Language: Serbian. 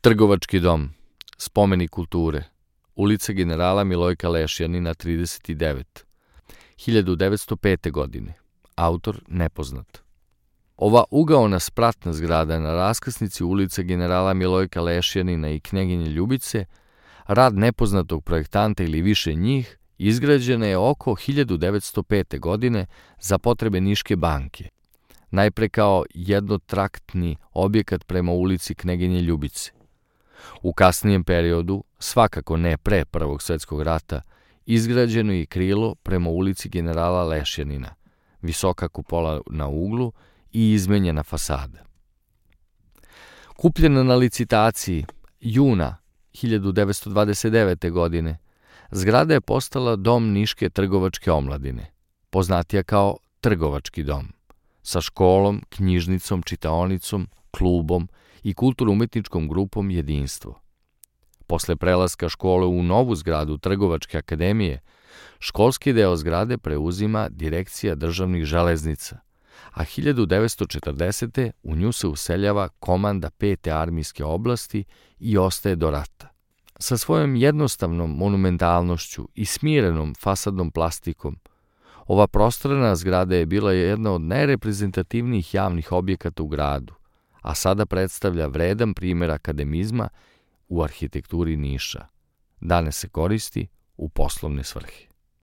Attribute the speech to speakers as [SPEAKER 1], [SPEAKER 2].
[SPEAKER 1] Trgovački dom, spomenik kulture, ulica generala Milojka Lešjanina 39, 1905. godine, autor nepoznat. Ova ugaona spratna zgrada na raskrsnici ulice generala Milojka Lešjanina i Kneginje Ljubice, rad nepoznatog projektanta ili više njih, izgrađena je oko 1905. godine za potrebe Niške banke, najpre kao jednotraktni objekat prema ulici Kneginje Ljubice. U kasnijem periodu, svakako ne pre Prvog svjetskog rata, izgrađeno je krilo prema ulici generala Lešjanina, visoka kupola na uglu i izmenjena fasada. Kupljena na licitaciji juna 1929. godine, zgrada je postala dom Niške trgovačke omladine, poznatija kao Trgovački dom, sa školom, knjižnicom, čitaonicom, klubom i kulturno-umetničkom grupom Jedinstvo. Posle prelaska škole u novu zgradu Trgovačke akademije, školski deo zgrade preuzima Direkcija državnih železnica, a 1940. u nju se useljava komanda 5. armijske oblasti i ostaje do rata. Sa svojom jednostavnom monumentalnošću i smirenom fasadnom plastikom, ova prostorna zgrada je bila jedna od najreprezentativnijih javnih objekata u gradu, a sada predstavlja vredan primer akademizma u arhitekturi Niša. Danas se koristi u poslovne svrhe.